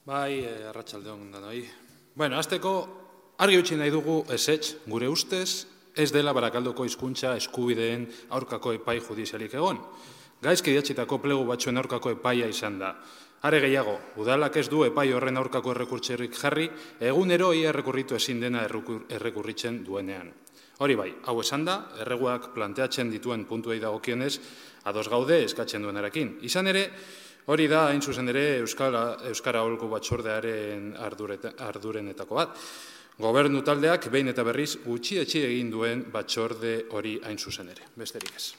Bai, arratsaldeon danoi. Bueno, hasteko argi utzi nahi dugu ezetz, gure ustez, ez dela Barakaldoko hizkuntza eskubideen aurkako epai judizialik egon. Gaizki idatzitako plegu batzuen aurkako epaia izan da. Are gehiago, udalak ez du epai horren aurkako errekurtzerik jarri, egunero ia errekurritu ezin dena errekurritzen duenean. Hori bai, hau esan da, erreguak planteatzen dituen puntuei dagokionez, ados gaude eskatzen duenarekin. Izan ere, hori da, hain zuzen ere, Euskara Aholku Batzordearen ardurenetako bat. Gobernu taldeak behin eta berriz gutxietsi egin duen batzorde hori hain zuzen ere. Besterik ez.